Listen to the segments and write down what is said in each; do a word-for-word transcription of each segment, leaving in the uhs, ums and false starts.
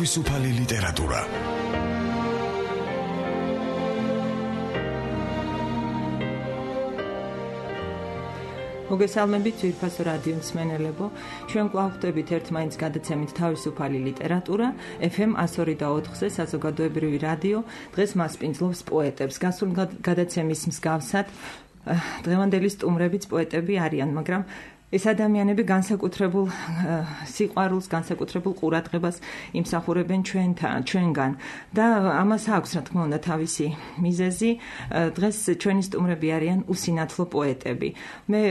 თავისუფალი ლიტერატურა. მოგესალმებით ძვირფასო რადიო მსმენელებო, ჩვენ კვლავ ვხვდებით ერთმანეთს გადაცემით თავისუფალი ლიტერატურა ეფ ემ one oh two point four-ზე საზოგადოებრივი რადიო. დღეს მას პინძლობს პოეტებს. გასული გადაცემის მსგავსად დღევანდელი სტუმრებიც პოეტები არიან, მაგრამ ეს ადამიანები განსაკუთრებულ სიყვარულს, განსაკუთრებულ ყურადღებას იმსახურებენ ჩვენთან, ჩვენგან და ამას აქვს, რა თქმა უნდა, თავისი მიზეზი. დღეს ჩვენი სტუმრები არიან უსინათლო პოეტები. მე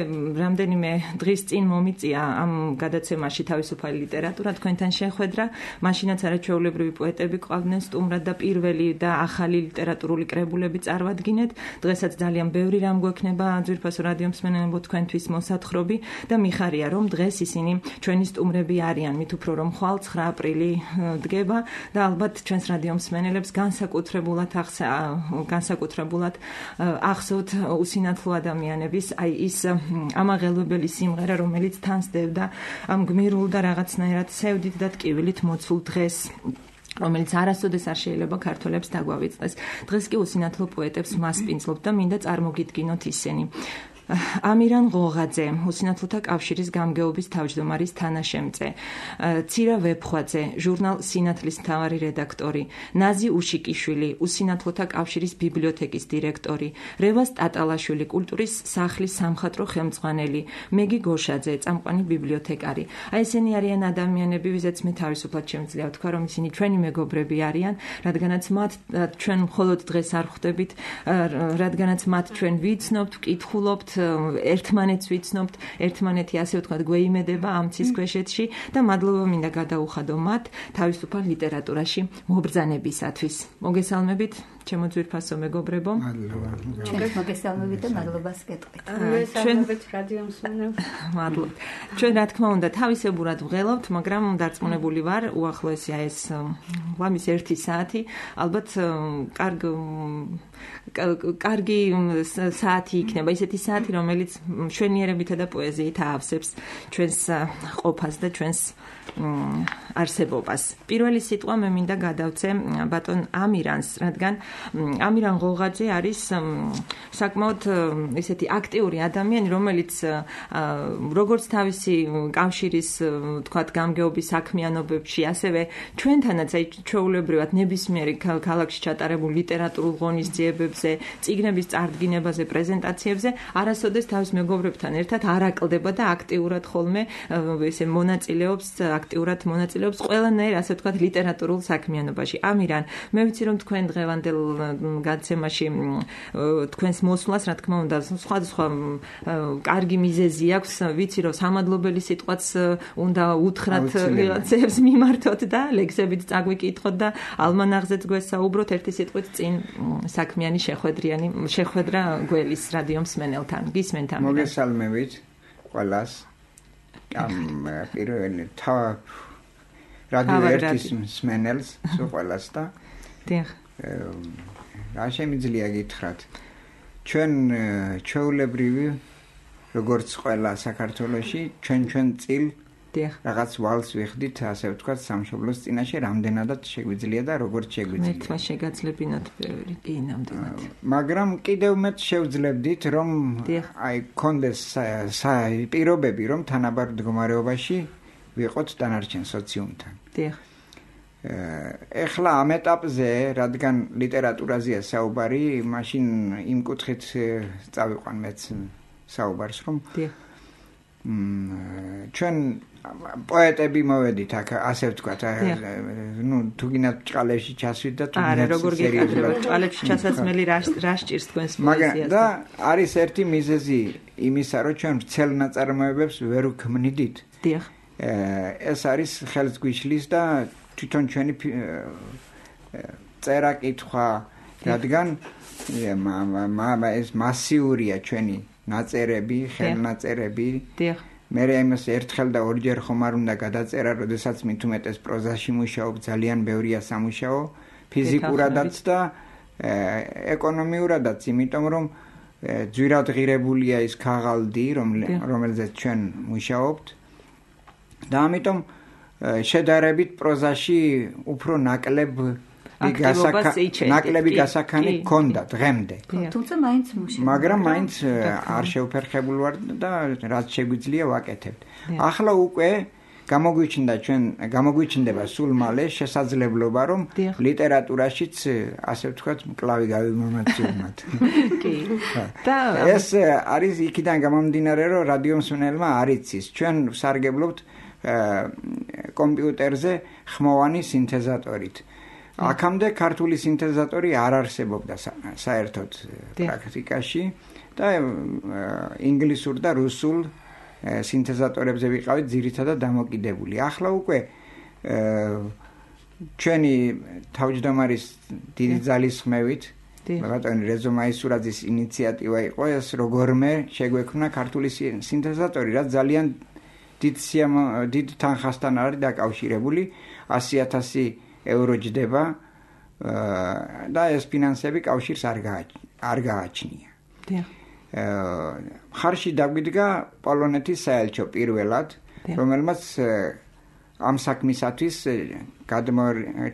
რამდენიმე დღის წინ მომიწია ამ გადაცემაში თავისუფალი ლიტერატურა თქვენთან შეხვედრა, მაშინაც არაჩვეულებრივი პოეტები ყავდნენ სტუმრად და პირველი და ახალი ლიტერატურული კრებულები წარვადგინეთ. დღესაც ძალიან ბევრი რამ გვექნება ძვირფასო რადიო მსმენელებო თქვენთვის მოსათხრობი. და მიხარია რომ დღეს ისინი ჩვენი სტუმრები არიან, მით უფრო რომ ხვალ ცხრა აპრილი დგება და ალბათ ჩვენს რადიო მსმენელებს განსაკუთრებულად განსაკუთრებულად ახსოვთ უსინათლო ადამიანების აი ის ამაღელვებელი სიმღერა, რომელიც თან სდევდა ამ გმირულ და რაღაცნაირად სევდით და ტკივილით მოცულ დღეს, რომელიც არასოდეს არ შეიძლება ქართველებს დაგვავიწყდეს. დღეს კი უსინათლო პოეტებს მასპინძლობ და მინდა წარმოგიდგინოთ ისინი. ამირან ღოღაძე, უსინათლოთა კავშირის გამგეობის თავმჯდომარის თანაშემწე, ცირა ვეფხვაძე, ჟურნალ სინათლის მთავარი რედაქტორი, ნაზი უშიკიშვილი, უსინათლოთა კავშირის ბიბლიოთეკის დირექტორი, რევაზ ტატალაშვილი, კულტურის სახლის სამხატვრო ხელმძღვანელი, მეგი გოშაძე, წამყვანი ბიბლიოთეკარი. აი ესენი არიან ადამიანები, ვიზეც მე თავისუფლად შემიძლია ვთქვა, რომ ისინი ჩვენი მეგობრები არიან, რადგანაც მათ ჩვენ მხოლოდ დღეს არ ხვდებით, რადგანაც მათ ჩვენ ვიცნობთ, ვკითხულობთ, ერთმანეთს ვიცნობთ, ერთმანეთი ასე ვთქვათ გვეიმედება ამ ცის ქვეშეთში და მადლობა მინდა გადაუხადო მათ თავისუფალ ლიტერატურაში მობრძანებისათვის. მოგესალმებით, ჩემო ძვირფასო მეგობრებო. მადლობა. ჩვენს მოგესალმებით და მადლობას გეტყვით. მოგესალმებით რადიო მსმენელებს. მადლობა. ჩვენ რა თქმა უნდა თავისებურად ვღელავთ, მაგრამ დარწმუნებული ვარ, უახლოესია ეს ლამის ერთი საათი, ალბათ კარგ კარგი საათი იქნება, ისეთი საათი, რომელიც მშვენიერებითა და პოეზიით აავსებს ჩვენს ყოფას და ჩვენს არსებობას. პირველი სიტყვა მე მინდა გადავცე ბატონ ამირანს, რადგან ამირან ღოღაძე არის საკმაოდ ესეთი აქტიური ადამიანი, რომელიც როგორც თავისი კავშირის, თქვათ, გამგეობის საქმიანობებში, ასევე ჩვენთანაც აი ჩვეულებრივად ნებისმიერი ქალაქში ჩატარებულ ლიტერატურულ ღონისძიებებზე, წიგნების წარდგინებაზე, პრეზენტაციებზე არასოდეს თავის მეგობრებთან ერთად არ აკლდება და აქტიურად ხოლმე ესე მონაწილეობს, აქტიურად მონაწილეობს ყველანაირ, ასე ვთქვათ, ლიტერატურულ საქმიანობაში. ამირან, მე ვიცი რომ თქვენ დღევანდელ გადაცემაში თქვენს მოსვლას, რა თქმა უნდა, სხვადასხვა კარგი მიზეზი აქვს, ვიცი რომ სამადლობელი სიტყვაც უნდა უთხრათ ვიღაცებს მიმართოთ და ლექსებით წაგვიკითხოთ და ალმანახზეც გვესაუბროთ, ერთი სიტყვით წინ საქმიანი შეხვედრიანი შეხვედრა გველის რადიო მსმენელთან. გისმენთ ამირან. მოგესალმებით ყველას. ამ პირველი თა რადიო ერთის მსმენელს, სულ ყველას და დიახ. რა შემიძლია გითხრათ? ჩვენ ჩვეულებრივი, როგორც ყველა საქართველოში, ჩვენ ჩვენ წილ რაღაც ვალს ვიხდით, ასე ვთქვათ, სამშობლოს წინაშე, რამდენადაც შეგვიძლია და როგორც შეგვიძლია. მართლა შეგაძლებინათ ბევრი, კი, ნამდვილად. მაგრამ კიდევ მეტ შევძლებდით, რომ აი კონდეს პირობები, რომ თანაბარ მდგომარეობაში ვიყოთ დანარჩენ სოციუმთან. დიახ. ეხლა ამ ეტაპზე, რადგან ლიტერატურაზეა საუბარი, მაშინ იმ კუთხით წავიყვან მეც საუბარს, რომ ჩვენ პოეტები მოვედით აქ, ასე ვთქვათ, ნუ თუ გინდათ ჭყალებში ჩასვით და თუ გინდათ როგორ გიხარდებათ ჭყალებში ჩასასმელი რა სჭირს თქვენს პოეზიას. და არის ერთი მიზეზი იმისა, რომ ჩვენ ვრცელ ნაწარმოებებს ვერ ვქმნიდით. დიახ. ეს არის ხელს გვიშლის და თვითონ ჩვენი წერა კითხვა, რადგან ეს მასიურია ჩვენი ნაწერები, ხელნაწერები. დიახ. მე იმას ერთხელ და ორჯერ ხომ არ უნდა გადაწერა, როდესაც მით უმეტეს პროზაში მუშაობ, ძალიან ბევრია სამუშაო, ფიზიკურადაც და ეკონომიურადაც, იმიტომ რომ ძვირად ღირებულია ის ქაღალდი, რომელზეც ჩვენ მუშაობთ და ამიტომ შედარებით პროზაში უფრო ნაკლებ ნაკლები გასაქანი გქონდა დღემდე. თუმცა მაინც მუშაობ. მაგრამ მაინც არ შევფერხებული ვარ და რაც შეგვიძლია ვაკეთებთ. ახლა უკვე გამოგვიჩნდა ჩვენ გამოგვიჩნდება სულ მალე შესაძლებლობა რომ ლიტერატურაშიც ასე ვთქვათ მკლავი გავიმომაცულოთ. კი. და ეს არის იქიდან გამომდინარე რომ რადიო მსმენელმა არ იცის ჩვენ ვსარგებლობთ კომპიუტერზე ხმოვანი სინთეზატორით. აქამდე ქართული სინთეზატორი არ არსებობდა საერთოდ პრაქტიკაში და ინგლისურ და რუსულ სინთეზატორებზე ვიყავით ძირითადად დამოკიდებული. ახლა უკვე ჩვენი თავმჯდომარის დიდი ძალის ხმევით ბატონი რეზო მაისურაძის ინიციატივა იყო ეს როგორმე შეგვექმნა ქართული სინთეზატორი, რაც ძალიან დიდ დიდ თანხასთან არის დაკავშირებული ასი ათასი ევრო ჯდება და ეს ფინანსები კავშირს არ არ გააჩნია. ხარში დაგვიდგა პოლონეთის საელჩო პირველად, რომელმაც ამ საქმისათვის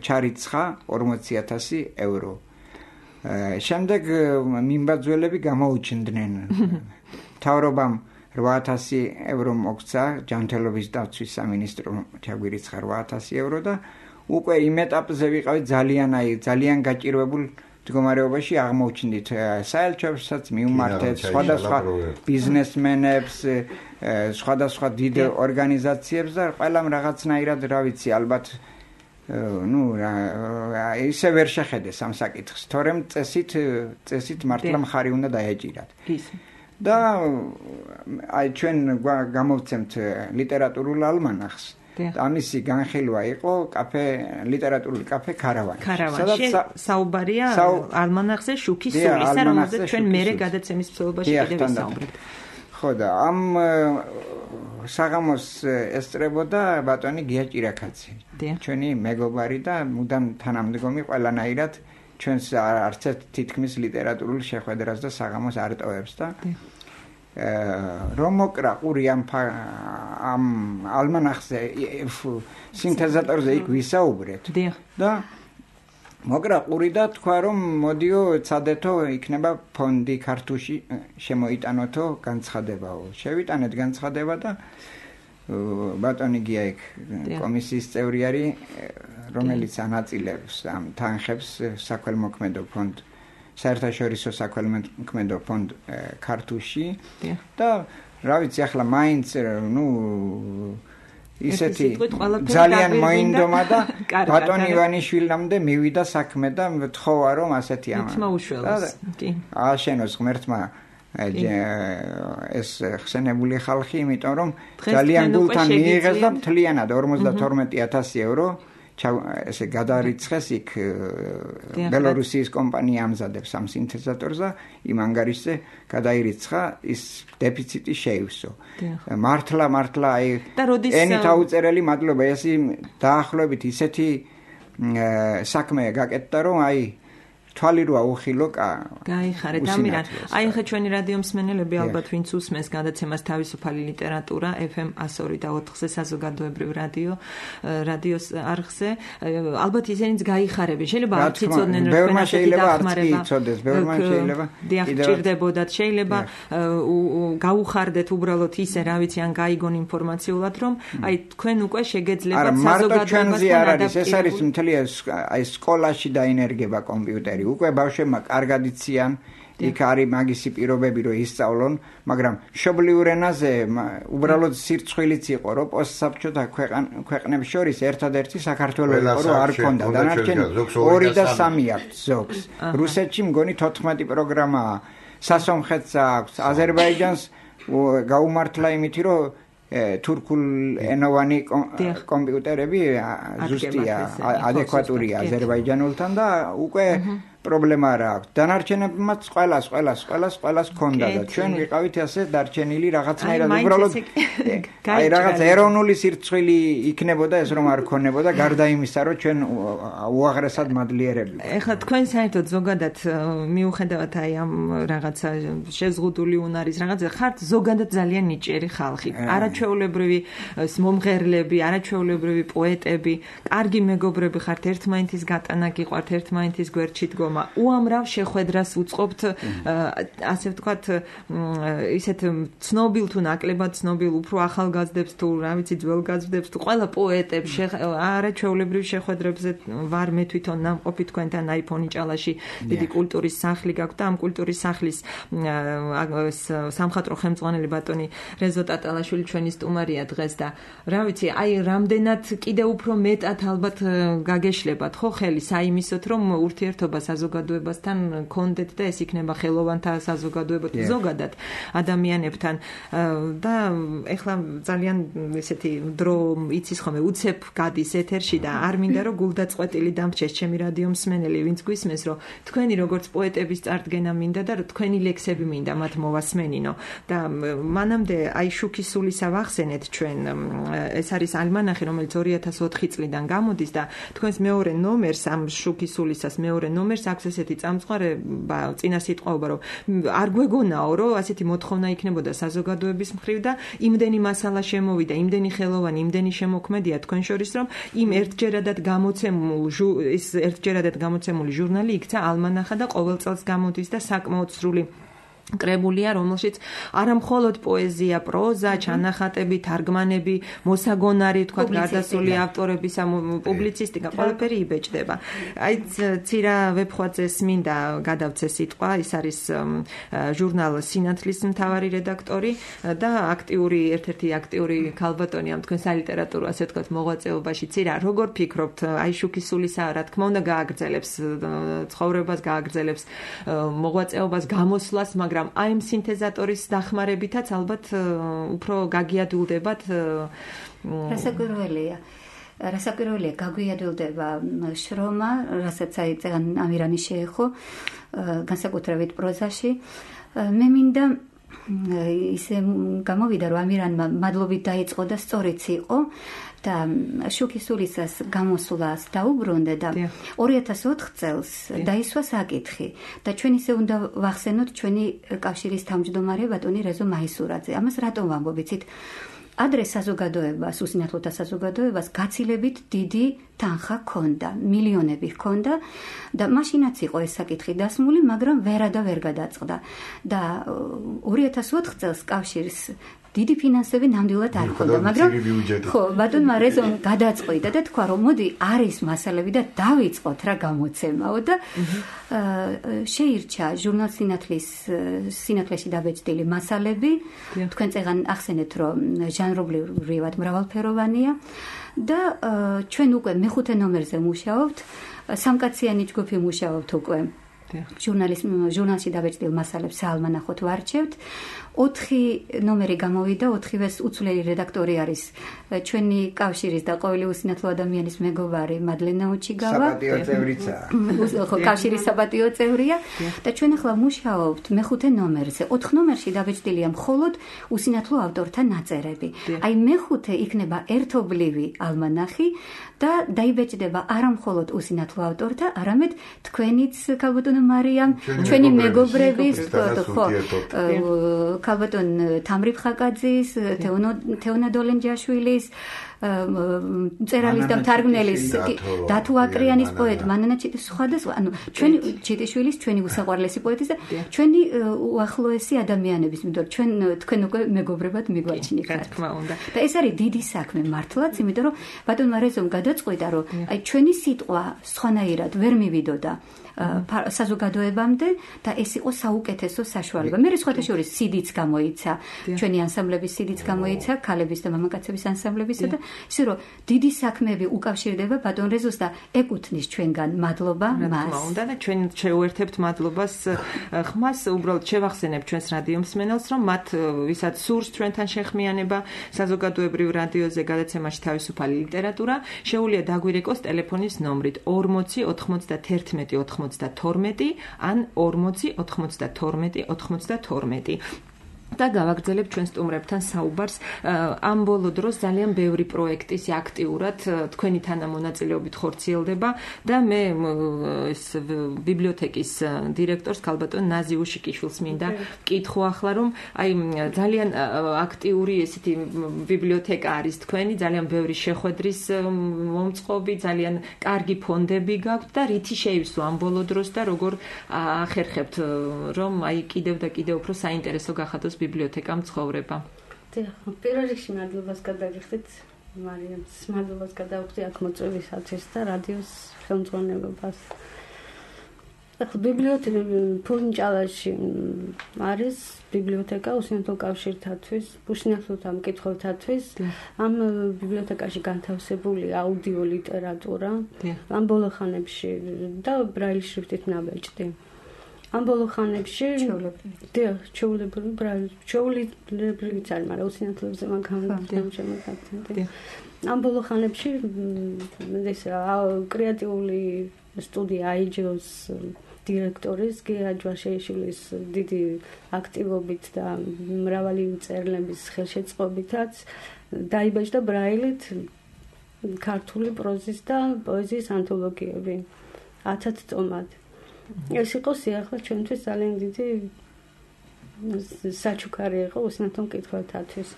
ჩარიცხა ორმოცი ათასი ევრო. შემდეგ მიმბაძველები გამოუჩნდნენ. მთავრობამ რვა ათასი ევრო მოგცა, ჯანმრთელობის დაცვის სამინისტრომ ჩაგვირიცხა რვა ათასი ევრო და უკვე იმ ეტაპზე ვიყავით ძალიან აი ძალიან გაჭირვებულ მდგომარეობაში აღმოჩნდით საელჩოებსაც მივმართეთ სხვადასხვა ბიზნესმენებს, სხვადასხვა დიდ ორგანიზაციებს და ყველამ რაღაცნაირად რა ვიცი ალბათ ну ისე ვერ შეხედეს ამ საკითხს, თორემ წესით წესით მართლა მხარი უნდა დაეჭირათ. და აი ჩვენ გამოვცემთ ლიტერატურულ ალმანახს. ამისი განხილვა იყო კაფე ლიტერატურული კაფე ქარავანი. სადაც საუბარია ალმანახზე შუქის სულისა, რომელზეც ჩვენ მერე გადაცემის მსვლელობაში კიდევ ვისაუბრებთ. ხო და ამ საღამოს ესწრებოდა ბატონი გია ჭირაქაძე. ჩვენი მეგობარი და მუდამ თანამდგომი ყველანაირად ჩვენს არც ერთ თითქმის ლიტერატურულ შეხვედრას და საღამოს არ ტოვებს და რომ მოკრა ყური ამ ამ ალმანახზე სინთეზატორზე იქ ვისაუბრეთ და მოკრა ყური და თქვა რომ მოდიო ცადეთო იქნება ფონდი ქართულში შემოიტანოთო განცხადებაო. შევიტანეთ განცხადება და ბატონი გია იქ კომისიის წევრი არის, რომელიც ანაწილებს ამ თანხებს საქველმოქმედო ფონდ საერთაშორისო საქველმოქმედო ფონდ ქართულში და რა ვიცი ახლა მაინც ნუ ისეთი ძალიან მოინდომა და ბატონ ივანიშვილამდე მივიდა საქმე და მთხოვა რომ ასეთი ამას ააშენოს ღმერთმა ეს ხსენებული ხალხი, იმიტომ რომ ძალიან გულთან მიიღეს და მთლიანად ორმოცდათორმეტი ათასი ევრო ესე გადარიცხეს იქ ბელორუსიის კომპანია ამზადებს ამ სინთეზატორს და იმ ანგარიშზე გადაირიცხა ის დეფიციტი შეივსო. მართლა მართლა აი ენით აუწერელი მადლობა, ეს დაახლოებით ისეთი საქმე გაკეთდა რომ აი თვალი როა უხილო გაიხარეთ ამირან. აი ხა ჩვენი რადიო მსმენელები ალბათ ვინც უსმენს გადაცემას თავისუფალი ლიტერატურა ეფ ემ εκατო ორი და ოთხზე საზოგადოებრივ რადიო რადიოს არხზე ალბათ ისინიც გაიხარებენ. შეიძლება არ იცოდნენ რომ ბევრმა შეიძლება არ იცოდეს, ბევრმა შეიძლება ჭირდებოდათ, შეიძლება გაუხარდეთ უბრალოდ ისე რა ვიცი ან გაიგონ ინფორმაციულად რომ აი თქვენ უკვე შეგეძლებათ საზოგადოებასთან არ არის ეს არის მთელი აი სკოლაში დაინერგება კომპიუტერი. უკვე ბავშვებმა კარგად იციან, იქ არის მაგისი პირობები რომ ისწავლონ, მაგრამ მშობლიურ ენაზე უბრალოდ სირცხვილიც იყო რომ პოსტსაბჭოთა ქვეყნებს შორის ერთადერთი საქართველოს იყო რომ არ ქონდა, დანარჩენი ორი და სამი აქვს ზოგს. რუსეთში მგონი თოთხმეტი პროგრამაა, სასომხეთს აქვს, აზერბაიჯანს გაუმართლა იმითი რომ თურქულ ენოვანი კომპიუტერები ზუსტია, ადეკვატურია აზერბაიჯანულთან და უკვე პრობლემა არ აქვს. დანარჩენებმაც ყველას, ყველას, ყველას, ყველას ჰქონდა და ჩვენ ვიყავით ასე დარჩენილი რაღაცნაირად უბრალოდ აი რაღაც ეროვნული სირცხვილი იქნებოდა ეს რომ არ ქონებოდა გარდა იმისა რომ ჩვენ უაღრესად მადლიერები. ეხლა თქვენ საერთოდ ზოგადად მიუხედავად აი ამ რაღაცა შეზღუდული უნარის რაღაცა ხართ ზოგადად ძალიან ნიჭიერი ხალხი. არაჩვეულებრივი მომღერლები, არაჩვეულებრივი პოეტები, კარგი მეგობრები ხართ, ერთმანეთის გატანა გიყვართ, ერთმანეთის გვერდში დგომა. უამრავ შეხვედრას უწყობთ, ასე ვთქვათ, ისეთ ცნობილ თუ ნაკლებად ცნობილ, უფრო ახალგაზრდებს თუ რა ვიცი, ძველგაზრდებს თუ ყველა პოეტებს არაჩვეულებრივ შეხვედრებზე ვარ მე თვითონ ნამყოფი თქვენთან აი ფონიჭალაში დიდი კულტურის სახლი გაქვთ და ამ კულტურის სახლის სამხატვრო ხელმძღვანელი ბატონი რეზო ტატალაშვილი ჩვენი სტუმარია დღეს და რა ვიცი, აი რამდენად კიდე უფრო მეტად ალბათ გაგეშლებათ ხო ხელი საიმისოთ რომ ურთიერთობა საზოგადოებასთან გქონდეთ და ეს იქნება ხელოვანთა საზოგადოება თუ ზოგადად ადამიანებთან და ეხლა ძალიან ესეთი დრო იცის ხოლმე უცებ გადის ეთერში და არ მინდა რომ გულდაწყვეტილი დამრჩეს ჩემი რადიო მსმენელი ვინც გვისმენს რომ თქვენი როგორც პოეტების წარდგენა მინდა და თქვენი ლექსები მინდა მათ მოვასმენინო და მანამდე აი შუქის სულისა ვახსენეთ ჩვენ ეს არის ალმანახი რომელიც ორი ათას ოთხი წლიდან გამოდის და თქვენს მეორე ნომერს ამ შუქის სულისას მეორე ნომერს აქვს ესეთი წამწყარება წინა სიტყვაობა რომ არ გვეგონაო რომ ასეთი მოთხოვნა იქნებოდა საზოგადოების მხრივ და იმდენი მასალა შემოვიდა იმდენი ხელოვანი იმდენი შემოქმედია თქვენ შორის რომ იმ ერთჯერადად გამოცემულ ის ერთჯერადად გამოცემული ჟურნალი იქცა ალმანახა და ყოველ წელს გამოდის და საკმაოდ სრული კრებულია, რომელშიც არა მხოლოდ პოეზია, პროზა, ჩანახატები, თარგმანები, მოსაგონარი, თქვა გარდასული ავტორებისა, პუბლიცისტიკა, ყველაფერი იბეჭდება. აი ცირა ვეფხვაძეს მინდა გადავცე სიტყვა, ის არის ჟურნალ სინათლის მთავარი რედაქტორი და აქტიური, ერთ-ერთი აქტიური ქალბატონი ამ თქვენ სალიტერატურო, ასე ვთქვათ, მოღვაწეობაში. ცირა, როგორ ფიქრობთ, აი შუქის სულისა, რა თქმა უნდა, გააგრძელებს ცხოვრებას, გააგრძელებს მოღვაწეობას, გამოსვლას, მაგრამ აი ამ სინთეზატორის დახმარებითაც ალბათ უფრო გაგიადვილდებათ რასაკვირველია რასაკვირველია გაგვიადვილდება შრომა რასაც აი წეგან ამირანი შეეხო განსაკუთრებით პროზაში მე მინდა ისე გამოვიდა რომ ამირანმა მადლობით დაიწყო და სწორიც იყო და შუქის სულისას გამოსვლას დაუბრუნდა და ორი ათას ოთხ წელს დაისვა საკითხი და ჩვენ ისე უნდა ვახსენოთ ჩვენი კავშირის თავმჯდომარე ბატონი რეზო მაისურაძე. ამას რატომ ვამბობ, იცით? ადრე საზოგადოებას, უსინათლოთა საზოგადოებას გაცილებით დიდი თანხა ჰქონდა, მილიონები ჰქონდა და მაშინაც იყო ეს საკითხი დასმული, მაგრამ ვერა და ვერ გადაწყდა. და ორი ათას ოთხ წელს კავშირს დიდი ფინანსები ნამდვილად არ ჰქონდა, მაგრამ ხო, ბატონმა რეზომ გადაწყვიტა და თქვა, რომ მოდი არის მასალები და დავიწყოთ რა გამოცემაო და შეირჩა ჟურნალ სინათლის სინათლეში დაბეჭდილი მასალები. თქვენ წეგან ახსენეთ, რომ ჟანრობრივად მრავალფეროვანია და ჩვენ უკვე მეხუთე ნომერზე მუშაობთ, სამკაციანი ჯგუფი მუშაობთ უკვე. ჟურნალის ჟურნალში დაბეჭდილ მასალებს საალმანახოდ ვარჩევთ. ოთხი ნომერი გამოვიდა, ოთხივეს უცვლელი რედაქტორი არის ჩვენი კავშირის და ყოველი უსინათლო ადამიანის მეგობარი მადლენა უჩიგავა. საპატიო წევრიცაა. ხო, კავშირის საპატიო წევრია და ჩვენ ახლა მუშაობთ მეხუთე ნომერზე. ოთხ ნომერში დაბეჭდილია მხოლოდ უსინათლო ავტორთა ნაწერები. აი მეხუთე იქნება ერთობლივი ალმანახი და დაიბეჭდება არა მხოლოდ უსინათლო ავტორთა, არამედ თქვენიც ქალბატონო მარიამ, ჩვენი მეგობრების, ხო, ქალბატონ თამრი ფხაკაძის, თეონა დოლენჯაშვილის, მწერალის და მთარგმნელის დათო აკრიანის პოეტ მანანა ჩიტის სხვადასხვა, ანუ ჩვენი ჩიტიშვილის, ჩვენი უსაყვარლესი პოეტის და ჩვენი უახლოესი ადამიანების, იმიტომ რომ ჩვენ თქვენ უკვე მეგობრებად მიგვაჩნით. რა თქმა უნდა. და ეს არის დიდი საქმე მართლაც, იმიტომ რომ ბატონმა რეზომ გადაწყვიტა, რომ აი ჩვენი სიტყვა სხვანაირად ვერ მივიდოდა საზოგადოებამდე და ეს იყო საუკეთესო საშუალება. მე სხვათა შორის სიდიც გამოიცა, ჩვენი ანსამბლების სიდიც გამოიცა, ქალების და მამაკაცების ანსამბლებისა და ისე რომ დიდი საქმეები უკავშირდება ბატონ რეზოს და ეკუთვნის ჩვენგან მადლობა მას. უნდა და ჩვენ შევერთებთ მადლობას ხმას, უბრალოდ შევახსენებ ჩვენს რადიო მსმენელს, რომ მათ ვისაც სურს ჩვენთან შეხმიანება საზოგადოებრივ რადიოზე გადაცემაში თავისუფალი ლიტერატურა, შეუძლია დაგვირეკოს ტელეფონის ნომრით ორმოცი ოთხმოცდათერთმეტი ოცდათორმეტი ან ორმოცი ოთხმოცდათორმეტი ოცდათორმეტი. და გავაგრძელებთ ჩვენ სტუმრებთან საუბარს ამ ბოლო დროს ძალიან ბევრი პროექტის აქტიურად თქვენი თანამონაწილეობით ხორციელდება და მე ეს ბიბლიოთეკის დირექტორს ქალბატონ ნაზი უშიკიშვილს მინდა ვკითხო ახლა რომ აი ძალიან აქტიური ესეთი ბიბლიოთეკა არის თქვენი, ძალიან ბევრი შეხვედრის მომწყობი, ძალიან კარგი ფონდები გაქვთ და რითი შეივსო ამ ბოლო დროს და როგორ ახერხებთ რომ აი კიდევ და კიდევ უფრო საინტერესო გახადოს ბიბლიოთეკამ ცხოვრება. დიახ, პირველ რიგში მადლობას გადაგიხდით მარიამს, მადლობას გადავხდი აქ მოწვევისათვის და რადიოს ხელმძღვანელობას. ახლა ბიბლიოთეკა ფუნჯალაში არის ბიბლიოთეკა უსინათლო კავშირთათვის, უსინათლოთა მკითხველთათვის. ამ ბიბლიოთეკაში განთავსებული აუდიო ლიტერატურა ამ ბოლო ხანებში და ბრაილი შრიფტით ნაბეჭდი. ამ ბოლო ხანებში დიახ, ჩვეულებრივი ბრაილი, ჩვეულებრივიც არის, მაგრამ უსინათლოებზე მაგალითად შემოგაგზავნე. ამ ბოლო ხანებში ეს კრეატიული სტუდია აიჯოს დირექტორის გია ჯვაშეიშვილის დიდი აქტივობით და მრავალი მწერლების ხელშეწყობითაც დაიბეჭდა ბრაილით ქართული პროზის და პოეზიის ანთოლოგიები ათად ტომად. ეს იყო სიახლე ჩვენთვის ძალიან დიდი საჩუქარი იყო უსინათლო მკითხველთათვის.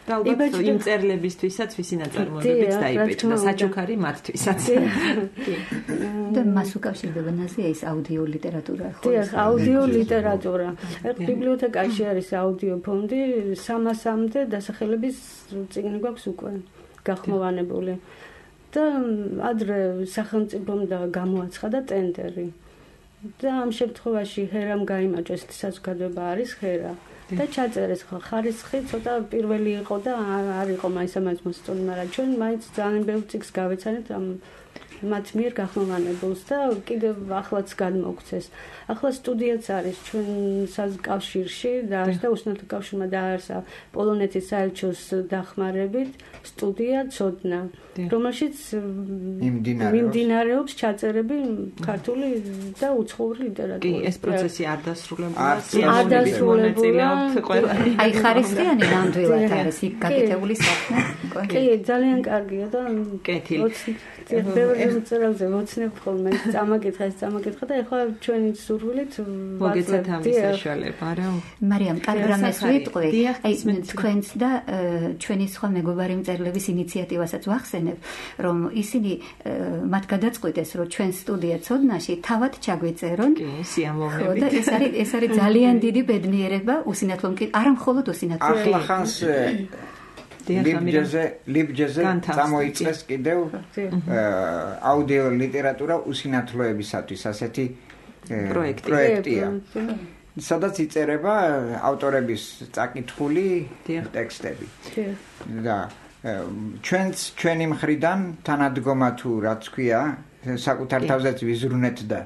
და ალბათ იმ წერლებისთვისაც ვისი ნაწარმოებებიც დაიბეჭდა, საჩუქარი მათთვისაც. და მას უკავშირდება ნაზია ეს აუდიო ლიტერატურა ხო? დიახ, აუდიო ლიტერატურა. ერთ ბიბლიოთეკაში არის აუდიო ფონდი, სამასამდე დასახელების წიგნი გვაქვს უკვე გახმოვანებული. და ადრე სახელმწიფომ და გამოაცხადა ტენდერი. და ამ შემთხვევაში ჰერამ გაიმარჯვეს, საზოგადოება არის ჰერა და ჩაწერეს ხარისხი, ცოტა პირველი იყო და არ იყო მაინც-მაინც მოსწონი, მაგრამ ჩვენ მაინც ძალიან ბევრ წიგნს გავეცანეთ ამ მათ მიერ გახმოვანებულს და კიდევ ახლაც გადმოგცეს. ახლა სტუდიაც არის ჩვენ საზკავშირში და და უსინათლო კავშირმა დააარსა პოლონეთის საელჩოს დახმარებით სტუდია ცოდნა, რომელშიც მიმდინარეობს ჩაწერები ქართული და უცხოური ლიტერატურის. კი, ეს პროცესი არ დასრულებულა. არ დასრულებულა. აი ხარისხიანი ნამდვილად არის იქ გაკეთებული საქმე. კი, ძალიან კარგია და კეთილი. ბევრი მწერალზე მოცნებ ხოლმე წამაკითხა ეს წამაკითხა და ახლა ჩვენი სურვილით მოგეცათ ამის საშუალება რა. მარიამ, კარგი რამეს ვიტყვი. აი თქვენს და ჩვენი სხვა მეგობარი მწერლების ინიციატივასაც ვახსენებ, რომ ისინი მათ გადაწყვიტეს, რომ ჩვენ სტუდია ცოდნაში თავად ჩაგვეწერონ. კი, სიამოვნებით. და ეს არის ეს არის ძალიან დიდი ბედნიერება უსინათლო მკითხველს, არა მხოლოდ უსინათლო. ახლა ხანს ლიბჯეზე ლიბჯეზე წამოიწეს კიდევ აუდიო ლიტერატურა უსინათლოებისათვის ასეთი პროექტია. სადაც იწერება ავტორების წაკითხული ტექსტები. და ჩვენც ჩვენი მხრიდან თანადგომა თუ რაც ქვია, საკუთარ თავზეც ვიზრუნეთ და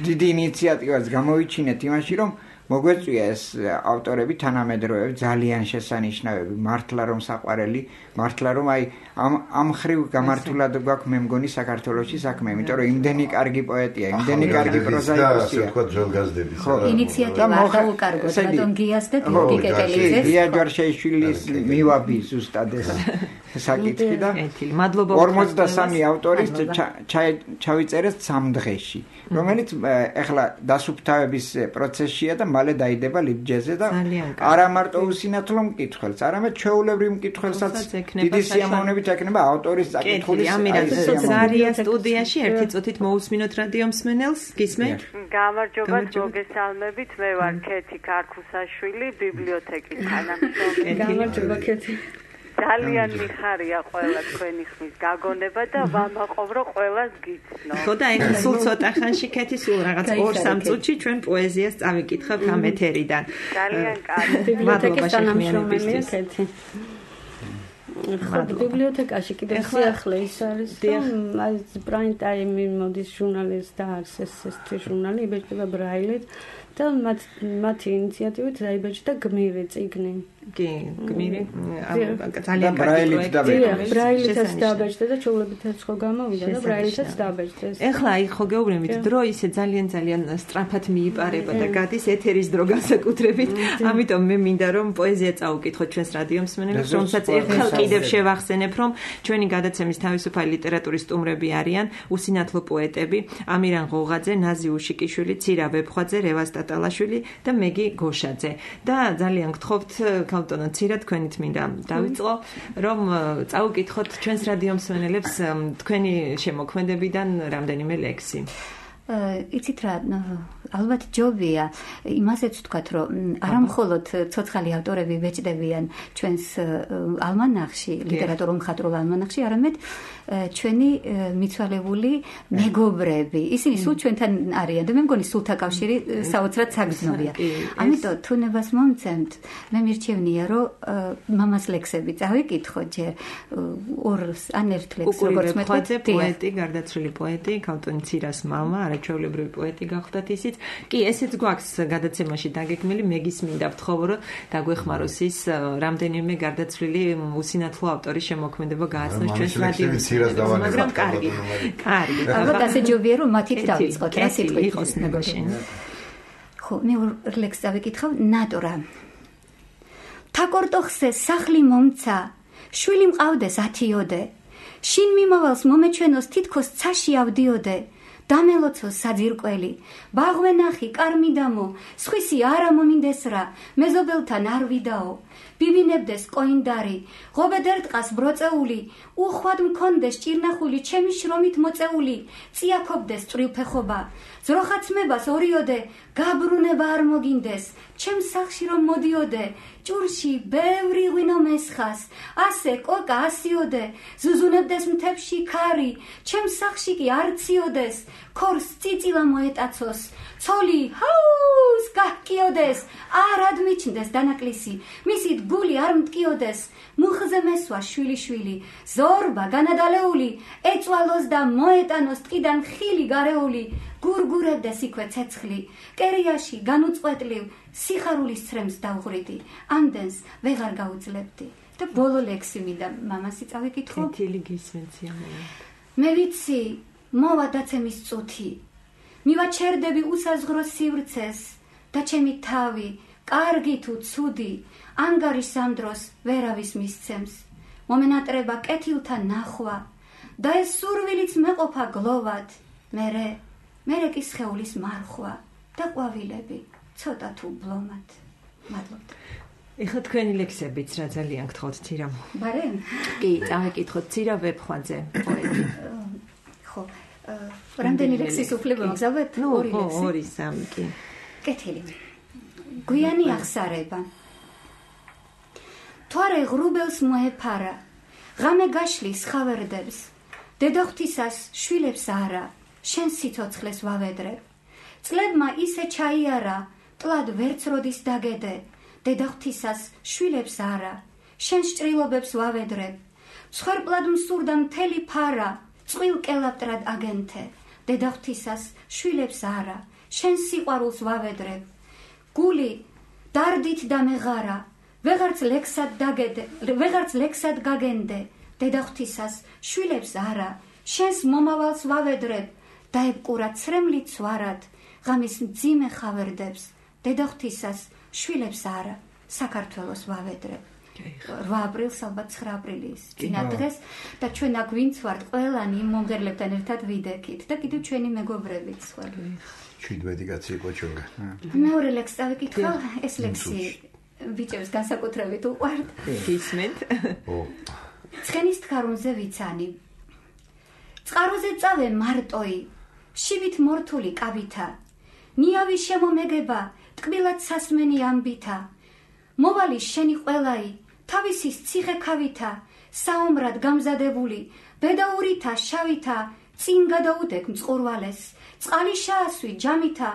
დიდი ინიციატივას გამოვიჩინეთ იმაში, რომ მოგვეწვია ეს ავტორები, თანამედროვეები, ძალიან შესანიშნავები, მართლა რომ საყვარელი, მართლა რომ აი ამ ამ ხრივ გამართულად გვაქვს მე მგონი საქართველოში საქმე, იმიტომ რომ იმდენი კარგი პოეტია, იმდენი კარგი პროზაიკოსია. ასე ვთქვათ, ძველგაზრდების ინიციატივა არ დაუკარგოთ, ბატონ გიას და გიგი კეკელიძეს. გია ჯვარშეიშვილის მივაბი ზუსტად ეს საკითხი და მადლობა ორმოცდასამი ავტორის ჩავიწერეს სამ დღეში, რომელიც ეხლა დასუფთავების პროცესშია და მალე დაიდება ლიბჯეზე და არა მარტო უსინათლო მკითხველს, არამედ ჩვეულებრივ მკითხველსაც დიდი სიამოვნებით ეკნება ავტორის წაკითხული. ზარია სტუდიაში ერთი წუთით მოусმინოთ რადიო მსმენელს, გისმენთ? გამარჯობა, მოგესალმებით, მე ვარ ქეთი ქარქუსაშვილი, ბიბლიოთეკის თანამშრომელი. გამარჯობა ქეთი. ძალიან მიხარია ყველა თქვენი ხმის გაგონება და ვამაყობრო ყველას გიცნო. ხო და ეხლა სულ ცოტა ხანში ქეთი სულ რაღაც ორ სამ წუთში ჩვენ პოეზიას წავიკითხავთ ამ ეთერიდან. ძალიან კარგი. ბიბლიოთეკის თანამშრომელია ქეთი. ბიბლიოთეკაში კიდევ სიახლე ის არის, რომ აი პრაიმ ტაიმი მოდის ჟურნალის და არის ეს ეს ჟურნალი იბეჭდება ბრაილით და მათ მათი ინიციატივით დაიბეჭდა გმირი წიგნი. კი, გმირი ძალიან ბრაილით დაიბეჭდა. ბრაილითაც დაიბეჭდა და ჩვეულებითაც ხო გამოვიდა და ბრაილითაც დაიბეჭდა. ეხლა აი ხო გეუბნებით, დრო ისე ძალიან ძალიან სწრაფად მიიპარება და გადის ეთერის დრო განსაკუთრებით. ამიტომ მე მინდა რომ პოეზია წავუკითხოთ ჩვენს რადიო მსმენელებს, რომელსაც ერთხელ კიდევ შევახსენებ, რომ ჩვენი გადაცემის თავისუფალი ლიტერატურის სტუმრები არიან უსინათლო პოეტები ამირან ღოღაძე, ნაზი უშიკიშვილი, ცირა ვეფხვაძე, რევაზ ტატალაშვილი და მეგი გოშაძე. და ძალიან გთხოვთ ქალბატონო ცირა თქვენით მინდა დავიწყო, რომ წავუკითხოთ ჩვენს რადიო მსმენელებს თქვენი შემოქმედებიდან რამდენიმე ლექსი. იცით რა, ალბათ ჯობია იმასაც ვთქვათ, რომ არა მხოლოდ ცოცხალი ავტორები ბეჭდებიან ჩვენს ალმანახში, ლიტერატურულ მხატვრულ ალმანახში, არამედ ჩვენი მიცვალებული მეგობრები. ისინი სულ ჩვენთან არიან და მე მგონი სულთა კავშირი საოცრად საგრძნობია. ამიტომ თუნებას მომცემთ, მე მირჩევნია, რომ მამას ლექსები წავიკითხო ჯერ ორ ან ერთ ლექსს, როგორც მეტყვი პოეტი, გარდაცვლილი პოეტი, ქალბატონი ცირას მამა, არაჩვეულებრივი პოეტი გახდა ისიც. კი, ესეც გვაქვს გადაცემაში დაგეგმილი, მეგის მინდა ვთხოვო, რომ დაგვეხმაროს ის რამდენიმე გარდაცვლილი უსინათლო ავტორის შემოქმედება გააცნოს ჩვენს რადიოში. მაგრამ კარგი. კარგი. ალბათ ასე ჯობია, რომ მათით დავიწყოთ რა სიტყვით იყოს მეგოშენ. ხო, მე ლექს დავიკითხავ ნატორა. თაკორტოხსე სახლი მომცა, შვილი მყავდეს ათიოდე. შინ მიმავალს მომეჩვენოს თითქოს ცაში ავდიოდე. დამელოცოს საძირკველი, ბაღვენახი, კარმიდამო, სხვისი არა მომინდეს რა, მეზობელთან არ ვიდაო. ბიბინებდეს კოინდარი, ღობედერტყას ბროწეული, უხვად მქონდეს ჭირნახული, ჩემი შრომით მოწეული, წიაქობდეს წვრილფეხობა, ძროხაცმებას ორიოდე, გაბრუნება არ მოგინდეს, ჩემს სახლში რომ მოდიოდე, ჭურში ბევრი ღვინო მესხას, ასე კოკა ასიოდე, ზუზუნებდეს მთებში ქარი, ჩემს სახლში კი არ ციოდეს, ქორს წიწილა მოეტაცოს, ცოლი ჰაუს გაჰკიოდეს, არ ადმიჩნდეს დანაკლისი, მისით გული არ მტკიოდეს, მუხზე მესვა შვილი შვილი, ზორბა განადალეული, ეწვალოს და მოეტანოს ტყიდან ხილი გარეული, გურგურებდეს იქვე ცეცხლი, კერიაში განუწყვეტლივ, სიხარულის ცრემს დავღვრიდი, ამდენს ვეღარ გაუძლებდი. და ბოლო ლექსი მინდა მამასი წავიკითხო. თითილი გისმენცია მე. მე ვიცი, მოვა დაცემის წუთი, მივაჩერდები უსაზღრო სივრცეს და ჩემი თავი, კარგი თუ ცუდი, ანგარის ამ დროს ვერავის მისცემს. მომენატრება კეთილთა ნახვა და ეს სურვილიც მეყოფა გლოვად, მერე, მერე კი სხეულის მარხვა და ყვავილები ცოტა თუ ბლომად. მადლობთ. ეხლა თქვენი ლექსებიც რა ძალიან გთხოვთ ცირა. ბარე? კი, წავიკითხოთ ცირა ვეფხვაძე პოეტი. ხო, რამდენი ლექსის უფლება მოგზავნეთ? ორი ლექსი. ორი, სამი კი. კეთილი. გვიანი აღსარება. თვარე ღრუბელს მოეფარა, ღამე გაშლის ხავერდებს, დედაღვთისას შვილებს არა, შენ სიცოცხლეს ვავედრებ. წლებმა ისე ჩაიარა, ტლად ვერც როდის დაგედე, დედაღვთისას შვილებს არა, შენ სჭრილობებს ვავედრებ. მსხვერპლად მსურდა მთელი ფარა, წყვილ კელაპტრად აგენთე, დედაღვთისას შვილებს არა, შენ სიყვარულს ვავედრებ. გული დარდით დამეღარა, ვეღარც ლექსად დაგედე, ვეღარც ლექსად გაგენდე, დედაღვთისას შვილებს არა, შენს მომავალს ვავედრებ. დაებკურა ცრემლი ცვარად, ღამის მძიმე ხავერდებს, დედაღვთისას შვილებს არა, საქართველოს ვავედრებ. რვა აპრილს, ალბათ ცხრა აპრილის წინა დღეს და ჩვენ აქ ვინც ვართ, ყველანი იმ მომღერლებთან ერთად ვიდექით და კიდევ ჩვენი მეგობრებიც ხარ. შვიდმეტი კაცი იყო ჩვენგან. მეორე ლექსი დავიკითხავ, ეს ლექსი ბიჭებს განსაკუთრებით უყვართ. გისმენთ? ო. ცხენის თქარუნზე ვიცანი. წყაროზე წავე მარტოი, შივით მორთული კავითა. ნიავი შემომეგება, ტკბილად სასმენი ამბითა. მოვალი შენი ყველაი, თავისის ციხე ქავითა, საომრად გამზადებული, ბედაურითა შავითა, წინ გადაუდეკ მწყურვალეს, წყალი შაასვი ჯამითა,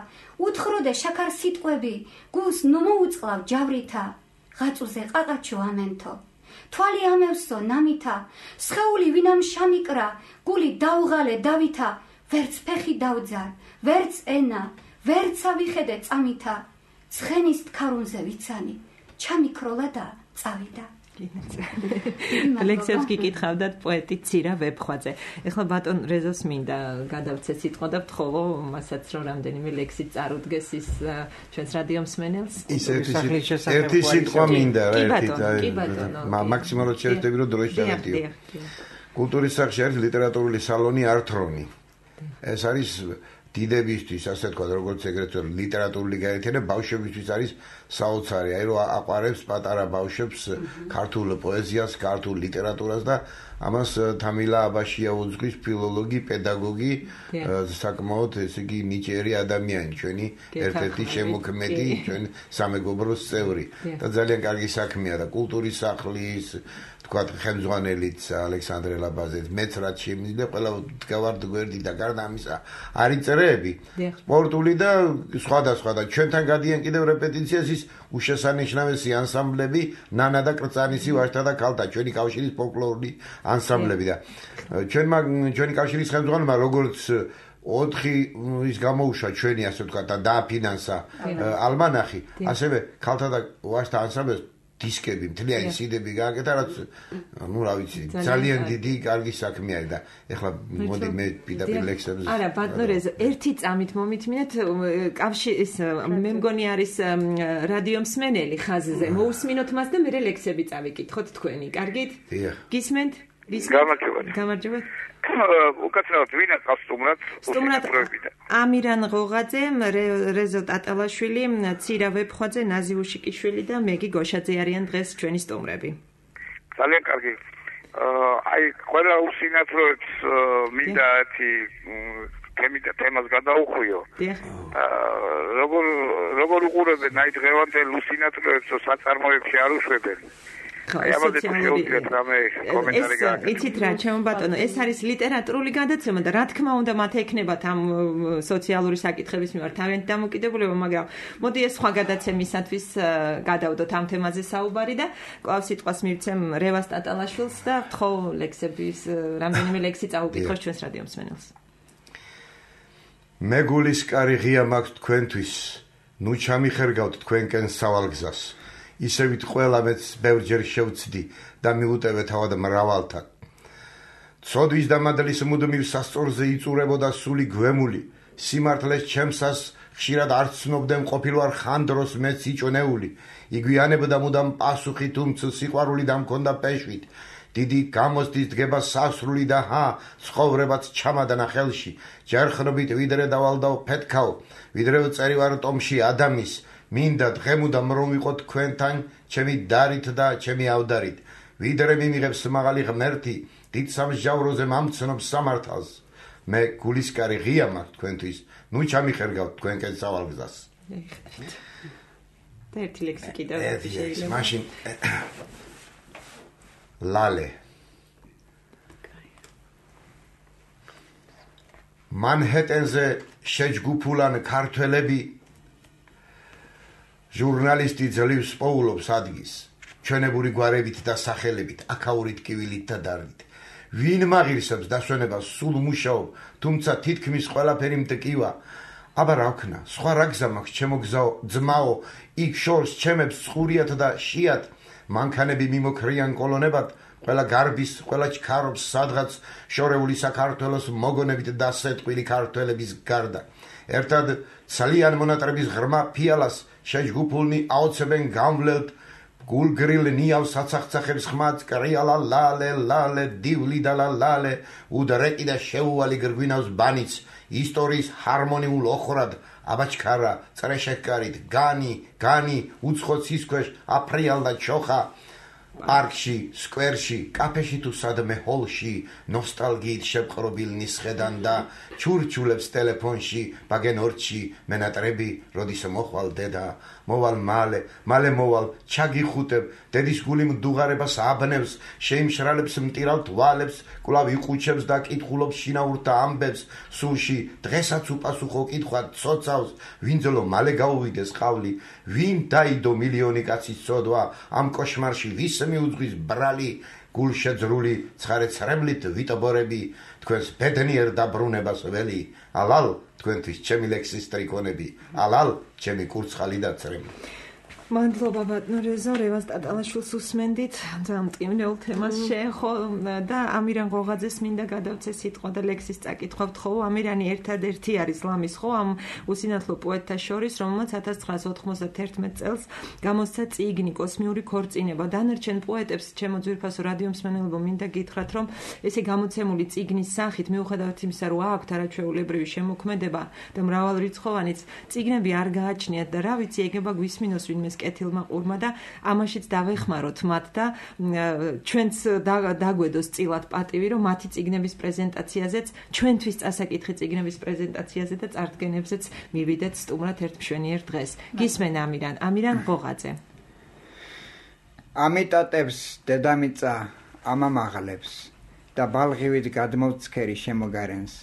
უთხროდე შაქარ სიტყვები, გულს ნუ მოუწყლავ ჯავრითა, ღაწუზე ყაყაჩო ამენთო, თვალი ამევსო ნამითა სხეული ვინამ შამიკრა გული დაუღალე დავითა ვერც ფეხი დავძარ ვერც ენა ვერც ავიხედე წამითა ცხენის თქარუნზე ვიცანი ჩამიქროლა და წავიდა ლექსებს გიკითხავდათ პოეტი ცირა ვეფხვაძე. ეხლა ბატონ რეზოს მინდა გადავცე სიტყვა და ვთხოვო მასაც რომ რამდენიმე ლექსი წარუდგეს ის ჩვენს რადიო მსმენელს. ის ერთი სიტყვა მინდა რა ერთი მაქსიმალურად შეერთები რომ დროის ჩავედიო. კულტურის სახლში არის ლიტერატურული სალონი ართრონი. ეს არის დიდებისთვის, ასე თქვა, როგორც ეგრეთ წოდებული ლიტერატურული გაერთიანება ბავშვებისთვის არის საოცარი, აი რომ აყვარებს პატარა ბავშვებს ქართულ პოეზიას, ქართულ ლიტერატურას და ამას თამილა აბაშიაუძღვის ფილოლოგი, პედაგოგი, საკმაოდ ესე იგი ნიჭიერი ადამიანი, ჩვენი ერთ-ერთი შემოქმედი, ჩვენი სამეგობროს წევრი და ძალიან კარგი საქმეა და კულტურის სახლის თქვა ხელმძღვანელიც ალექსანდრე ლაბაზეც მეც რაც შემიძლია ყველა დგავართ გვერდი და გარდა ამისა არის წერეები სპორტული და სხვადასხვა და ჩვენთან გადიან კიდევ რეპეტიციას ის უშესანიშნავესი ანსამბლები ნანა და კრწანისი ვაჟთა და ქალთა ჩვენი კავშირის ფოლკლორული ანსამბლები და ჩვენმა ჩვენი კავშირის ხელმძღვანელმა როგორც ოთხი ის გამოუშვა ჩვენი ასე ვთქვა და დააფინანსა ალმანახი ასევე ქალთა და ვაჟთა ანსამბლს დისკები, მთლიანი სიდები გააკეთა, რაც ნუ რა ვიცი, ძალიან დიდი კარგი საქმეა და ეხლა მოდი მე პირდაპირ ლექსებს. არა, ბატონო რეზო, ერთი წამით მომითმინეთ, კავშირი ის მე მგონი არის რადიო მსმენელი ხაზზე. მოусმინოთ მას და მე ლექსები წავიკითხოთ თქვენი. კარგით? გისმენთ? გამარჯობა. გამარჯობა. უკაცრავად ვინა ყავსტუმრად სტუმრად ამირან ღოღაძე, რეზო ტატალაშვილი, ცირა ვეფხვაძე, ნაზი უშიკიშვილი და მეგი გოშაძე არიან დღეს ჩვენი სტუმრები. ძალიან კარგი. აი ყველა უსინათლოებს მინდა ეთი თემას გადაუხვიო. როგორ როგორ უყურებენ აი დღევანდელ უსინათლოებს საწარმოებში არ უშვებენ. იცით რა ჩემო ბატონო ეს არის ლიტერატურული გადაცემა და რა თქმა უნდა მათ ექნებათ ამ სოციალური საკითხების მიმართ თავიანთი დამოკიდებულება მაგრამ მოდი ეს სხვა გადაცემისათვის გადავდოთ ამ თემაზე საუბარი და კვლავ სიტყვას მივცემ რევას ტატალაშვილს და ვთხოვ ლექსების რამდენიმე ლექსი წაუკითხოს ჩვენს რადიო მსმენელს. მე გულისკარი ღია მაქვს თქვენთვის ნუ ჩამიხერგავთ თქვენკენ სავალგზას ისევით ყველა მეც ბევრჯერ შევცდი და მიუტევე თავად მრავალთან. ცოდვის და მადლის მუდმივ სასწორზე იწურებოდა სული გვემული, სიმართლეს ჩემსას ხშირად არ ცნობდემ ყოფილვარ ხანდროს მეც იჭონეული, იგვიანებდა მუდამ პასუხი თუმც სიყვარული და მქონდა პეშვით. დიდი გამოსდის დგება სასრული და ჰა, ცხოვრებაც ჩამადანა ხელში, ჯერხნობით ვიდრე დავალდაო ფეთქაო, ვიდრე წერი ვარ ტომში ადამის, მინდა დღემუდამ რომ ვიყოთ თქვენთან ჩემი დარით და ჩემი ავდარით ვიდრე მიმიღებს მაღალი ღმერთი დიდ სამსჯავროზე მამცნობს სამართალს მე გულისკარი ღია მაქვს თქვენთვის ნუ ჩამიხერგავთ თქვენკენ სავალგზას და ერთი ლექსი კიდევ შეიძლება მაშინ ლალე მანჰეტენზე შეჯგუფულან ქართველები ჟურნალისტი ძლივს პოულობს ადგის, ჩვენებური გვარებით და სახელებით, აქაურით კივილით და დარვით. ვინ მაღირსებს დასვენებას სულ მუშაობ, თუმცა თითქმის ყველაფერი მტკივა. აბა რა ვქნა, სხვა რა გზა მაქვს ჩემო გზაო, ძმაო, იქ შორს ჩემებს ხურიათ და შიათ, მანქანები მიმოქრიან კოლონებად, ყველა გარბის, ყველა ჩქარობს სადღაც შორეული საქართველოს მოგონებით დასეტყვილი ქართველების გარდა. ერთად ძალიან მონატრების ღრმა ფიალას შეჯგუფულნი აოცებენ გამვლელთ გულგრილ ნიავს საცახცახებს ხმაც კრიალა ლალე ლალე დივლი და ლალე უდრეკი და შეუვალი გრგვინავს ბანიც ისტორიის ჰარმონიულ ოხრად აბაჩქარა წრეშეკარით განი განი უცხო ცისქვეშ აფრიალ და ჩოხა პარკში, სკვერში, კაფეში თუ სადმე ჰოლში, ნოსტალგიით შეპყრობილ ნისხედან და ჩურჩულებს ტელეფონში, ბაგენორჩი, მენატრები, როდის მოხვალ დედა, მოვალ მალე, მალე მოვალ, ჩაგიხუტებ, დედის გული მდუღარებას აბნევს, შეიმშრალებს მტირალ თვალებს, კვლავ იყუჩებს და კითხულობს შინაურთა ამბებს, სულში, დღესაც უპასუხო კითხვა ცოცავს, ვინძოლო მალე გაუვიდეს ყავლი, ვინ დაიდო მილიონი კაცის ცოდვა, ამ კოშმარში ვის მიუძღვის ბრალი გულშეძრული ცხარეცრემლით ვიტობორები თქვენს ბედნიერ დაბრუნებას ველი ალალ თქვენთვის ჩემი ლექსის ტრიკონები ალალ ჩემი კურცხალი და ცრემლი მადლობა ბატონო რეზო რევას ტატალაშვილს უსმენდით ძალიან მტკივნეულ თემას შეეხო და ამირან ღოღაძეს მინდა გადავწე სიტყვა და ლექსის წაკითხავთ ხო ამირანი ერთადერთი არის ლამის ხო ამ უსინათლო პოეტთა შორის რომელმაც ათას ცხრაას ოთხმოცდათერთმეტ წელს გამოსცა წიგნი კოსმიური ქორწინება დანარჩენ პოეტებს ჩემო ძვირფასო რადიო მსმენელებო მინდა გითხრათ რომ ესე გამოცემული წიგნის სახით მიუხედავად იმისა რომ აქვთ არაჩვეულებრივი შემოქმედება და მრავალრიცხოვანიც წიგნები არ გააჩნიათ და რა ვიცი ეგება გვისმინოს ვინმე კეთილმა ყურმა და ამაშიც დავეხმაროთ მათ და ჩვენც დაგვედოს წილად პატივი რომ მათი წიგნების პრეზენტაციაზეც ჩვენთვის წასაკითხი წიგნების პრეზენტაციაზე და წარდგენებზეც მივიდეთ სტუმრად ერთ მშვენიერ დღეს გისმენ ამირან ამირან ღოღაძე ამიტატებს დედამიწა ამამაღლებს და ბალღივით გადმოვცქერი შემოგარენს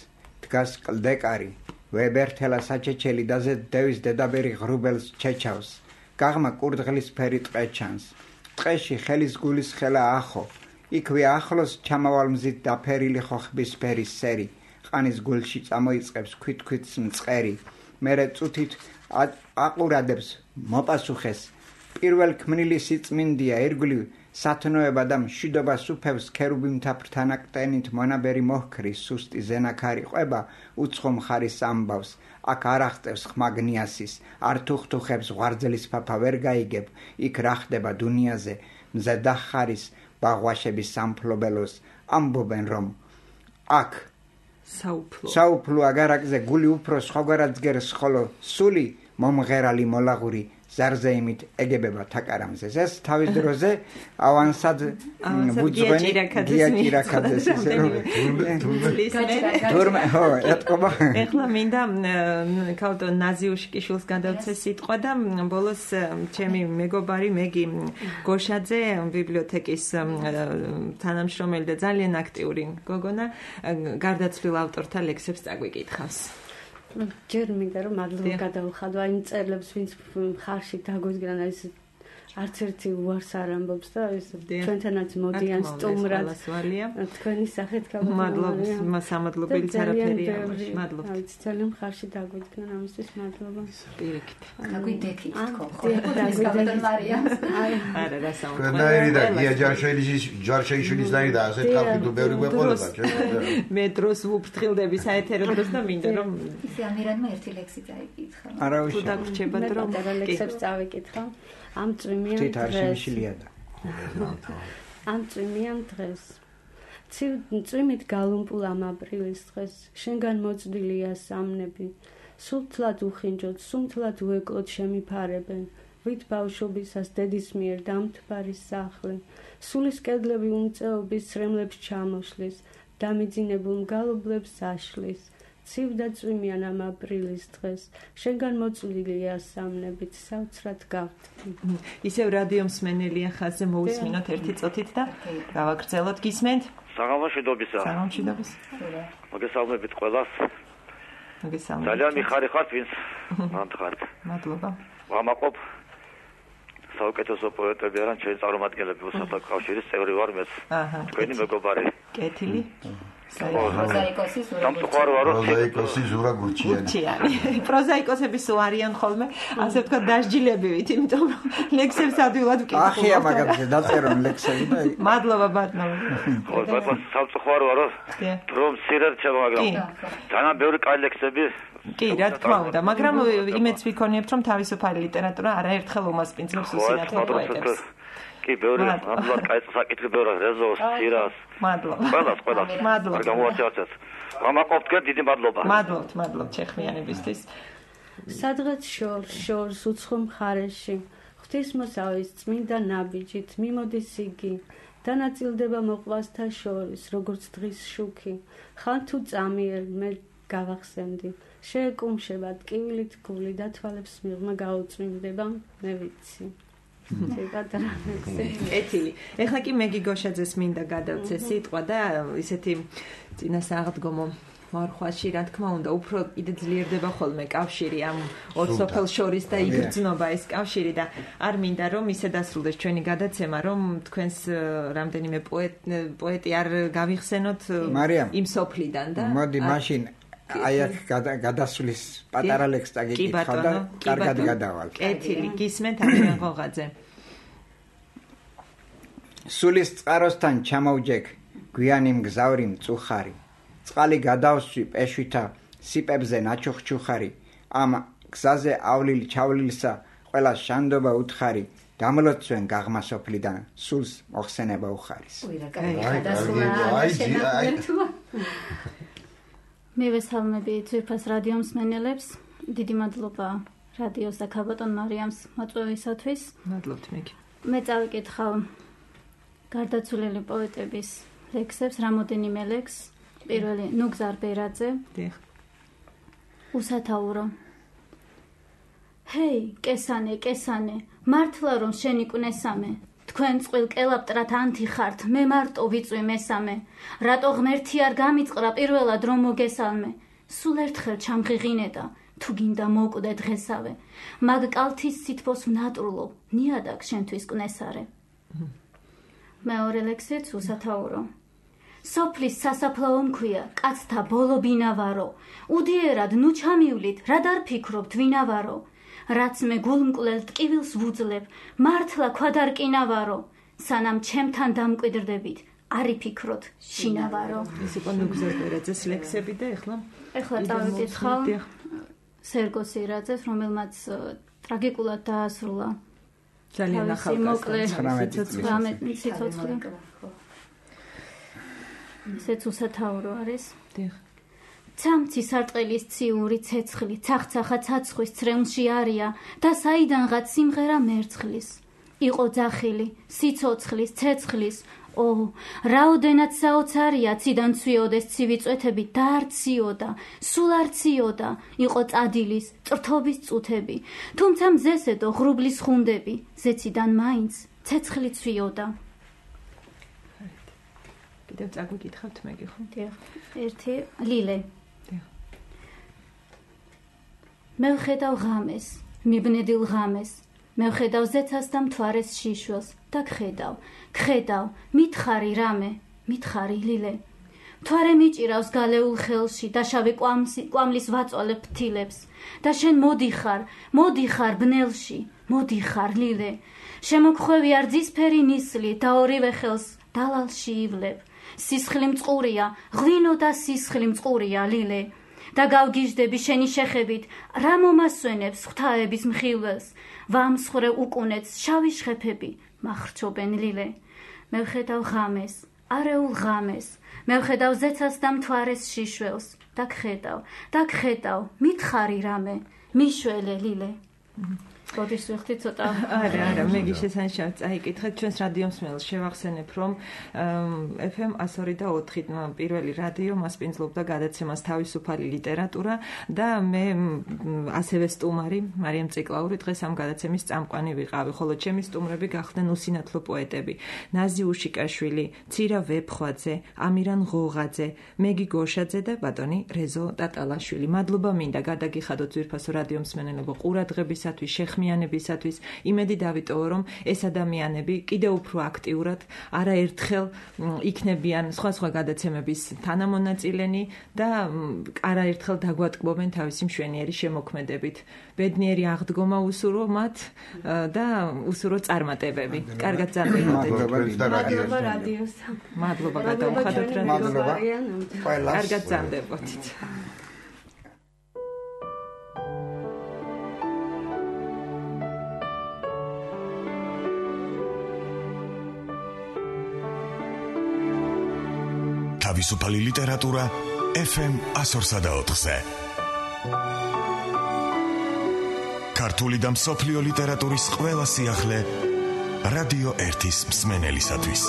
დგას კლდეკარი ვებერთელა საჩეჩელი დაზე დევის დედაბერი ღრუბელს ჩეჩავს გაღმა კურდღლის ფერი ტყე ჩანს ტყეში ხელის გულის ხელა ახო იქვე ახლოს ჩამავალ მზით დაფერილი ხოხბის ფერის სერი ყანის გულში წამოიწყებს ქვითქვით მწყერი მერე წუთით აყურადებს მოპასუხეს პირველ ქმნილი სიწმინდია ირგვლივ სათნოება და მშვიდობა სუფევს ქერუბიმთა ფრთანაკტენით მონაბერი მოჰქრის სუსტი ზენაქარი ყვება უცხო მხარის ამბავს აქ არ ახტევს ხმაგნიასის არ თუხთუხებს ღვარძლის ფაფა ვერ გაიგებ იქ რა ხდება დუნიაზე მზე დახარის ბაღვაშების სამფლობელოს ამბობენ რომ აქ საუფლო საუფლო აგარაკზე გული უფრო სხვაგვარად ძგერს ხოლო სული მომღერალი მოლაღური ზარზეიმით ეგებება თაკარამზეს ეს თავის დროზე ავანსად ბუძღვენი გიაჭირაკაძეს ისე რომ თურმე ხო ეთქობა ეხლა მინდა ქალტო ნაზიუშკიშვილს გადავცე სიტყვა და ბოლოს ჩემი მეგობარი მეგი გოშაძე ბიბლიოთეკის თანამშრომელი და ძალიან აქტიური გოგონა გარდაცვლილ ავტორთა ლექსებს წაგვიკითხავს ჯერ მინდა რომ მადლობა გადავხადო აი იმ წერლებს ვინც ხარში დაგვიდგან ის არც ერთი უარს არ ამბობს და ეს ჩვენთანაც მოდიან სტუმრად თქვენი სახით გავაკეთე მადლობა სამადლობელი არაფერი მადლობა აი ძალიან ხარში დაგვიდგან ამისთვის მადლობა პირიქით გაგვიდექით თქო ხო ეს გავდან მარიამს არა რა საუბარი თქვენაირი და გია ჯარშეილის ჯარშეიშვილის დაი და ასეთ ხალხი თუ ბევრი გვეყოლება ჩვენ მე დროს ვუფრთხილდები საეთერო დროს და მინდა რომ ისე ამირანმა ერთი ლექსი წაიკითხა არა თუ დაგვრჩება რომ ლექსებს წავიკითხა ამ წვიმიან დღეს ამ წვიმიან დღეს წვიმით გალუმპულ ამ აპრილის დღეს შენგან მოწვდილია სამნები სულთლად უხინჯოთ სუმთლად უეკლოდ შემიფარებენ ვით ბავშვობისას დედის მიერ დამთბარი სახლი სულის კედლები უმწეობის ცრემლებს ჩამოშლის დამიძინებულ მგალობლებს აშლის ცივ და წვიმიან ამ აპრილის დღეს შენგან მოწვდილია სამნებით საოცრად გავთქვი ისევ რადიო მსმენელია ხაზზე მოვისმინოთ ერთი წუთით და გავაგრძელოთ გისმენთ საღამოშვიდობისა საღამოშვიდობის მოგესალმებით ყველას მოგესალმებით ძალიან მიხარიხართ ვინც მანდხართ მადლობა ვამაყობ საუკეთესო პოეტები არიან ჩვენი წარმომადგენლები უსაფრთხო კავშირის წევრი ვარ მეც თქვენი მეგობარი კეთილი პროზაიკოსი ზურა გურჩიანი პროზაიკოსები სულ არიან ხოლმე ასე ვთქვა დასჯილებივით იმიტომ რომ ლექსებს ადვილად ვკითხულობ ახია მაგაზე დაწერონ ლექსები და მადლობა ბატონო ხო ბატონო სამწუხარო ვარო რომ სირად ჩემ მაგრამ ძალიან ბევრი კაი ლექსები კი რა თქმა უნდა მაგრამ იმეც ვიქონიებთ რომ თავისუფალი ლიტერატურა არაერთხელ უმასპინძლობს უსინათლო პოეტებს კი ბევრი ამბობ კაი საკითხი ბევრი რეზოს სირას მადლობა ყველას ყველას მადლობა გამოვაჩერეთ ვამაყობთ გეთ დიდი მადლობა მადლობთ მადლობთ ჩეხმიანებისთვის სადღაც შორს შორს უცხო მხარეში ღვთისმოსავის წმინდა ნაბიჯით მიმოდის იგი დანაწილდება მოყვასთა შორის როგორც დღის შუქი ხან თუ წამიერ მე გავახსენდი შეეკუმშება ტკივილით გული და თვალებს მიღმა გაუწვიმდება მე ვიცი კეთილი. ეხლა კი მეგი გოშაძეს მინდა გადავცე სიტყვა და ისეთი წინასაღდგომო ხმარხვაში, რა თქმა უნდა, უფრო კიდე ძლიერდება ხოლმე კავშირი ამ ორ სოფელ შორის და იგრძნობა ეს კავშირი და არ მინდა რომ ისე დასრულდეს ჩვენი გადაცემა, რომ თქვენს რამდენიმე პოეტი არ გავიხსენოთ იმ სოფლიდან და მოდი მაშინ აი აქ გადასვლის პატარა ლექსტა გიკითხავ და კარგად გადავალ. კეთილი, გისმენთ ამიან ღოღაძე. სულის წყაროსთან ჩამოვჯექ გვიანი მგზავრი მწუხარი. წყალი გადავსვი პეშვითა სიპებზე ნაჩუხჩუხარი. ამ გზაზე ავლილი ჩავლილსა ყველა შანდობა უთხარი. გამლოცვენ გაღმა სოფლიდან სულს მოხსენება უხარის. მე ვესალმები ძვირფას რადიო მსმენელებს. დიდი მადლობა რადიოს და ქაბატონ მარიამს მოწვევისათვის. მადლობთ მიკი. მე წავიკითხავ გარდაცვლილი პოეტების ლექსებს, რამოდენიმე ლექს. პირველი ნუგზარ ბერაძე. დიახ. უსათაურო. ჰეი, კესანე, კესანე, მართლა რომ შენი კვნესამე, თქვენ წყვილ კელაპტრათ ანთი ხართ, მე მარტო ვიწვი მესამე, რატო ღმერთი არ გამიწყრა პირველად რომ მოგესალმე, სულ ერთხელ ჩამღიღინე და თუ გინდა მოკვდე დღესავე, მაგ კალთის სითბოს ვნატრულო, ნიადაგ შენთვის კვნესარე. მეორე ლექსიც უსათაურო. სოფლის სასაფლაო მქვია, კაცთა ბოლო ბინავარო, უდიერად ნუ ჩამივლით, რად არ ფიქრობთ ვინავარო, რაც მე გულმკვლელ ტკივილს ვუძლებ, მართლა ქვად არ კინავარო, სანამ ჩემთან დამკვიდრდებით, არ იფიქროთ შინავარო. ეს იყო ნუგზარ ბერაძეს ლექსები და ეხლა ეხლა წავიკითხავ სერგო სირაძეს, რომელმაც ტრაგიკულად დაასრულა ძალიან ახალგაზრდა ცხრამეტი სიცოცხლე. ესეც უსათაურო არის. დიახ. ცამცი სარტყელის ციური ცეცხლი, ცახცახა ცაცხვის ცრემლში არია და საიდანღაც სიმღერა მერცხლის. იყო ძახილი, სიცოცხლის, ცეცხლის, ო, რაოდენად საოცარია ციდან ცვიოდეს ცივი წვეთები და არ ციოდა, სულ არ ციოდა, იყო წადილის, წრთობის წუთები, თუმცა მზესედო ღრუბლის ხუნდები, ზეციდან მაინც ცეცხლი ცვიოდა. კიდევ წაგვიკითხავთ მეგი ხო? დიახ. ერთი ლილე. მე ვხედავ ღამეს, მიბნედილ ღამეს, მე ვხედავ ზეცას და მთვარეს შიშველს და გხედავ, გხედავ, მითხარი რამე, მითხარი ლილე. მთვარე მიჭირავს გალეულ ხელში და შავი კვამლის ვაწვალებ ფთილებს და შენ მოდიხარ, მოდიხარ ბნელში, მოდიხარ ლილე. შემოგხვევი არ ძისფერი ნისლი და ორივე ხელს დალალში ივლებ. სისხლი მწყურია, ღვინო და სისხლი მწყურია ლილე. და გავგიჟდები შენი შეხებით, რა მომასვენებს ღვთაების მხილველს, ვამსხრე უკუნეთს შავი შხეფები, მახრჩობენ ლილე. მე ვხედავ ღამეს, არეულ ღამეს, მე ვხედავ ზეცას და მთვარეს შიშველს, და გხედავ, და გხედავ, მითხარი რამე, მიშველე ლილე. ბოდიშ ვიხდი ცოტა. არა, არა, მეგი შესანიშნავად წაიკითხეთ ჩვენს რადიო მსმენელს შევახსენებ, რომ ეფ ემ one oh two და ოთხი პირველი რადიო მასპინძლობდა გადაცემას თავისუფალი ლიტერატურა და მე ასევე სტუმარი მარიამ ციკლაური დღეს ამ გადაცემის წამყვანი ვიყავი, ხოლო ჩემი სტუმრები გახდნენ უსინათლო პოეტები: ნაზი უშიკაშვილი, ცირა ვეფხვაძე, ამირან ღოღაძე, მეგი გოშაძე და ბატონი რეზო ტატალაშვილი. მადლობა მინდა გადაგიხადოთ ძვირფასო რადიო მსმენელებო ყურადღებისათვის, შეხმიანებისათვის. იმედი დავიტოვო, რომ ეს ადამიანები კიდევ უფრო აქტიურად არაერთხელ იქნებიან სხვა სხვა გადაცემების თანამონაწილენი და არაერთხელ დაგვატკბობენ თავისი მშვენიერი შემოქმედებით. ბედნიერი აღდგომა უსურვო მათ და უსურვო წარმატებები. კარგად ზარდებოდეთ. მადლობა რადიოს. მადლობა გადავხადოთ რადიოს. კარგად ზარდებოდეთ. თავისუფალი ლიტერატურა ეფ ემ one oh two და ოთხზე. ქართული და მსოფლიო ლიტერატურის ყველა სიახლე რადიო ერთის მსმენელისათვის.